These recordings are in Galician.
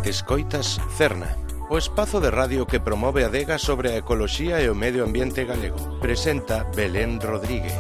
Escoitas Cerna, o espazo de radio que promove a adega sobre a ecoloxía e o medio ambiente galego. Presenta Belén Rodríguez.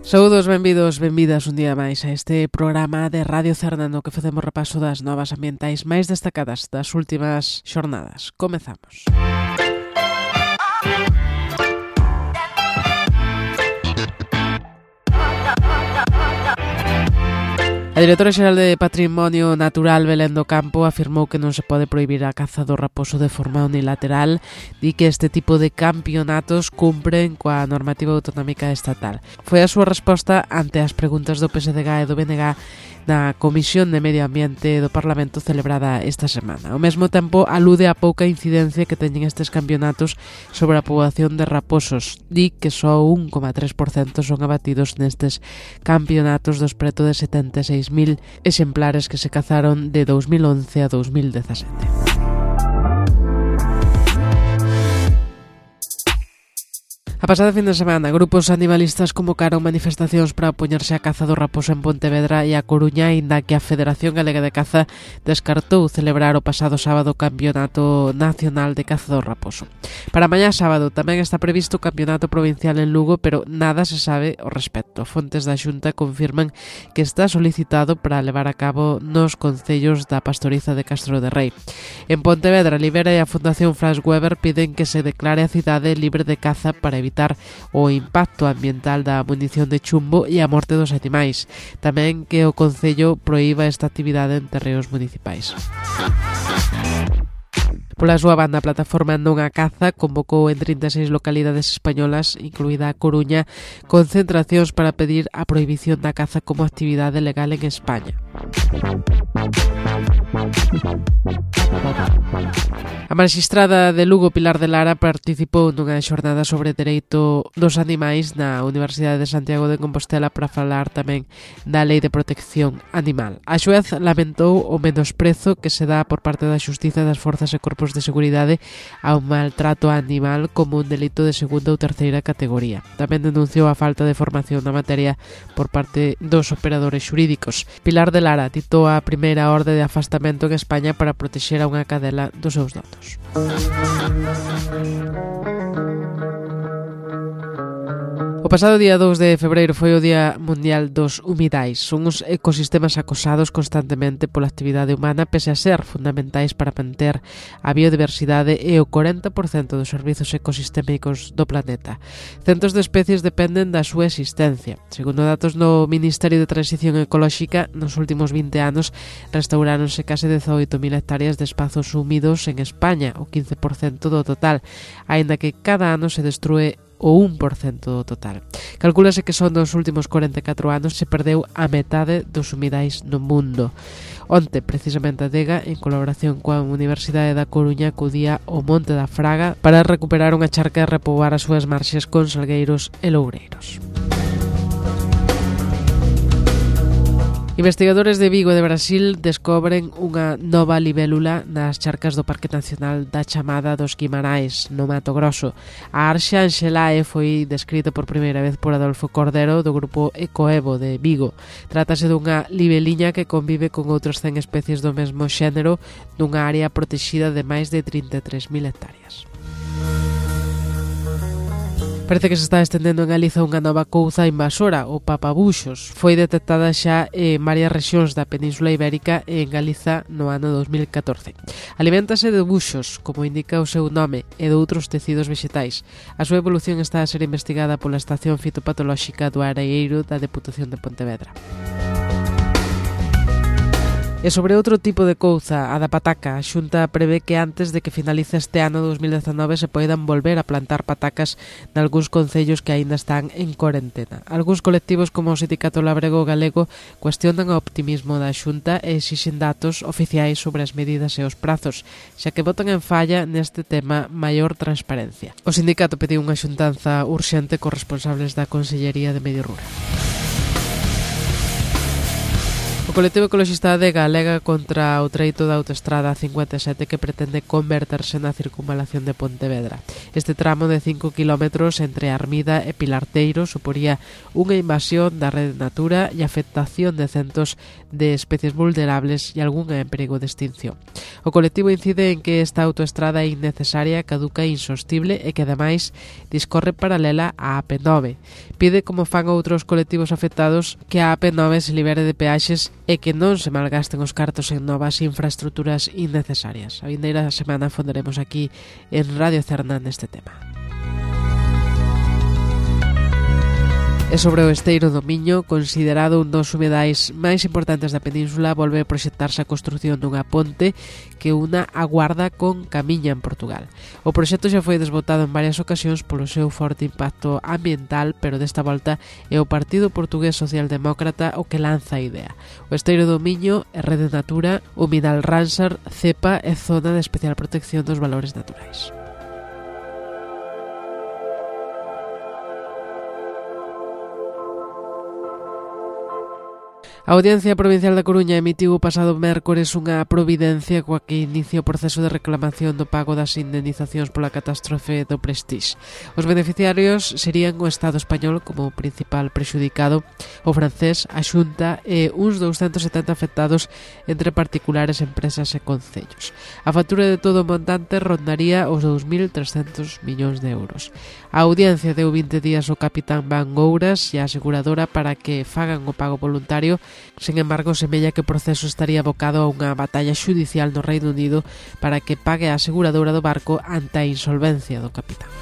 Saúdos, benvidos, benvidas un día máis a este programa de Radio Cerna no que facemos repaso das novas ambientais máis destacadas das últimas xornadas. Comezamos. A directora xeral de Patrimonio Natural, Belén do Campo, afirmou que non se pode prohibir a caza do raposo de forma unilateral, di que este tipo de campeonatos cumpren coa normativa autonómica estatal. Foi a súa resposta ante as preguntas do PSDG e do BNG na Comisión de Medio Ambiente do Parlamento celebrada esta semana. Ao mesmo tempo, alude a pouca incidencia que teñen estes campeonatos sobre a poboación de raposos. Di que só 1,3% son abatidos nestes campeonatos dos preto de 76.000 exemplares que se cazaron de 2011 a 2017. A pasada fin de semana, grupos animalistas convocaron manifestacións para opoñerse á caza do raposo en Pontevedra e a Coruña, inda que a Federación Galega de Caza descartou celebrar o pasado sábado o Campeonato Nacional de Caza do Raposo. Para mañá sábado tamén está previsto o Campeonato Provincial en Lugo, pero nada se sabe ao respecto. Fontes da Xunta confirman que está solicitado para levar a cabo nos concellos da Pastoriza de Castro de Rei. En Pontevedra, Libera e a Fundación Franz Weber piden que se declare a cidade libre de caza para evitar o impacto ambiental da munición de chumbo e a morte dos animais. Tamén que o Concello proíba esta actividade en terreos municipais. Pola súa banda, a plataforma Non a Caza convocou en 36 localidades españolas, incluída a Coruña, concentracións para pedir a prohibición da caza como actividade legal en España. A magistrada de Lugo, Pilar de Lara, participou nunha xornada sobre dereito dos animais na Universidade de Santiago de Compostela para falar tamén da Lei de Protección Animal. A xuez lamentou o menosprezo que se dá por parte da Xustiza das Forzas e Corpos de Seguridade ao maltrato animal como un delito de segunda ou terceira categoría. Tamén denunciou a falta de formación na materia por parte dos operadores xurídicos. Pilar de Lara ditou a primeira orde de afastamento en España para protexer a unha cadela dos seus datos. O pasado día 2 de febreiro foi o Día Mundial dos Humidais. Son uns ecosistemas acosados constantemente pola actividade humana, pese a ser fundamentais para manter a biodiversidade e o 40% dos servizos ecosistémicos do planeta. Centos de especies dependen da súa existencia. Segundo datos do Ministerio de Transición Ecolóxica, nos últimos 20 anos restauráronse case 18.000 hectáreas de espazos húmidos en España, o 15% do total, aínda que cada ano se destrúe o 1% do total. Calcúlase que son dos últimos 44 anos se perdeu a metade dos humidais no mundo. Onte, precisamente, a DEGA, en colaboración coa Universidade da Coruña, acudía ao Monte da Fraga para recuperar unha charca e repoboar as súas marxes con salgueiros e loureiros. Investigadores de Vigo e de Brasil descobren unha nova libélula nas charcas do Parque Nacional da Chamada dos Guimarais, no Mato Grosso. A Arxa Anxelae foi descrita por primeira vez por Adolfo Cordero do grupo Ecoevo de Vigo. Trátase dunha libeliña que convive con outras 100 especies do mesmo xénero dunha área protexida de máis de 33.000 hectáreas. Parece que se está estendendo en Galiza unha nova couza invasora, o papabuxos. Foi detectada xa en varias rexións da Península Ibérica e en Galiza no ano 2014. Aliméntase de buxos, como indica o seu nome, e de outros tecidos vegetais. A súa evolución está a ser investigada pola Estación Fitopatolóxica do Areeiro da Deputación de Pontevedra. E sobre outro tipo de couza, a da pataca, a Xunta prevé que antes de que finalice este ano 2019 se poidan volver a plantar patacas nalgúns concellos que aínda están en corentena. Algúns colectivos como o Sindicato Labrego Galego cuestionan o optimismo da Xunta e exixen datos oficiais sobre as medidas e os prazos, xa que botan en falla neste tema maior transparencia. O sindicato pediu unha xuntanza urxente cos responsables da Consellería de Medio Rural. O O colectivo ecoloxista Adega alega contra o treito da autoestrada 57 que pretende converterse na circunvalación de Pontevedra. Este tramo de 5 km entre Armida e Pilarteiro suporía unha invasión da rede Natura e afectación de centos de especies vulnerables e algunha en perigo de extinción. O colectivo incide en que esta autoestrada é innecesaria, caduca e insostible e que ademais discorre paralela á AP9. Pide, como fan outros colectivos afectados, que a AP9 se libere de peaxes e que non se malgasten os cartos en novas infraestructuras innecesarias. A vindeira semana fonderemos aquí en Radio Cerna neste tema. E sobre o esteiro do Miño, considerado un dos humedais máis importantes da península, volve a proxectarse a construción dunha ponte que una a Guarda con Camiña en Portugal. O proxecto xa foi desbotado en varias ocasións polo seu forte impacto ambiental, pero desta volta é o Partido Portugués Socialdemócrata o que lanza a idea. O esteiro do Miño é Rede Natura, Humidal Ramsar, CEPA e Zona de Especial Protección dos Valores Naturais. A Audiencia Provincial da Coruña emitiu o pasado mércores unha providencia coa que inicia o proceso de reclamación do pago das indemnizacións pola catástrofe do Prestige. Os beneficiarios serían o Estado español como principal prexudicado, o francés, a Xunta e uns 270 afectados entre particulares, empresas e concellos. A factura de todo o montante rondaría os 2.300 millóns de euros. A Audiencia deu 20 días ao capitán Van Gouras e a aseguradora para que fagan o pago voluntario. Sen embargo, semella que o proceso estaría abocado a unha batalla xudicial no Reino Unido para que pague a aseguradora do barco ante a insolvencia do capitán.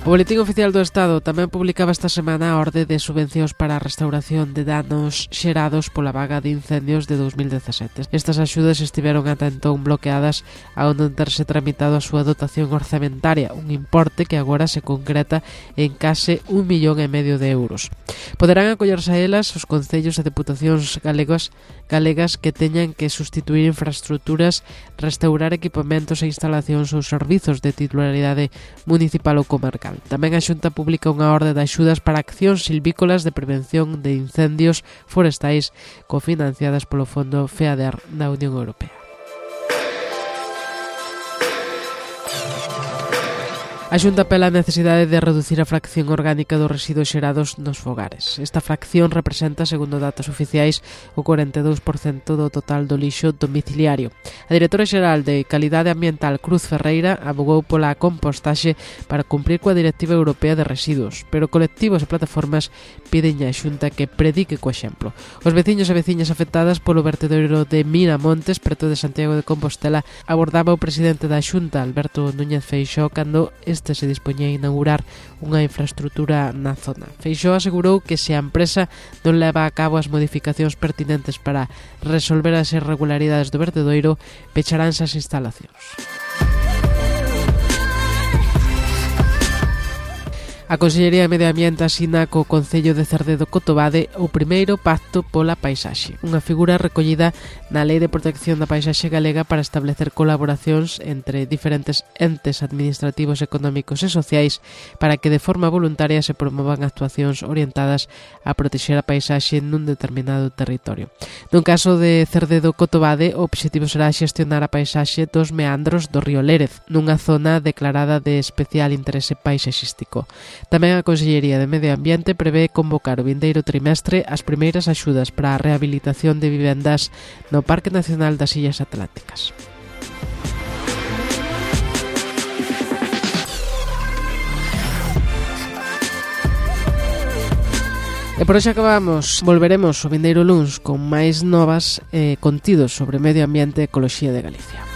O Boletín Oficial do Estado tamén publicaba esta semana a orde de subvencións para a restauración de danos xerados pola vaga de incendios de 2017. Estas axudas estiveron ata entón bloqueadas ao non terse tramitado a súa dotación orzamentaria, un importe que agora se concreta en case 1,5 millón de euros. Poderán acollerse a elas os concellos e deputacións galegas que teñan que sustituir infraestructuras, restaurar equipamentos e instalacións ou servizos de titularidade municipal ou comarcal. Tamén a Xunta publica unha orde de axudas para accións silvícolas de prevención de incendios forestais cofinanciadas polo Fondo FEADER da Unión Europea. A Xunta apela a necesidade de reducir a fracción orgánica dos residuos xerados nos fogares. Esta fracción representa, segundo datos oficiais, o 42% do total do lixo domiciliario. A directora xeral de Calidade Ambiental, Cruz Ferreira, abogou pola compostaxe para cumprir coa Directiva Europea de Residuos, pero colectivos e plataformas piden á Xunta que predique co exemplo. Os veciños e veciñas afectadas polo vertedoiro de Miramontes, preto de Santiago de Compostela, abordaba o presidente da Xunta, Alberto Núñez Feixóo, cando este se dispoñía a inaugurar unha infraestructura na zona. Feixóo asegurou que se a empresa non leva a cabo as modificacións pertinentes para resolver as irregularidades do vertedoiro, pecharánse as instalacións. A Consellería de Medio Ambiente asina co Concello de Cerdedo-Cotobade o primeiro pacto pola paisaxe, unha figura recollida na Lei de Protección da Paisaxe Galega para establecer colaboracións entre diferentes entes administrativos, económicos e sociais para que de forma voluntaria se promovan actuacións orientadas a protexer a paisaxe nun determinado territorio. No caso de Cerdedo-Cotobade, o obxectivo será xestionar a paisaxe dos meandros do río Lérez, nunha zona declarada de especial interese paisaxístico. Tamén a Consellería de Medio Ambiente prevé convocar o vindeiro trimestre as primeiras axudas para a rehabilitación de vivendas no Parque Nacional das Illas Atlánticas. E por hoxe acabamos. Volveremos o vindeiro luns con máis novas contidos sobre medio ambiente e ecoloxía de Galicia.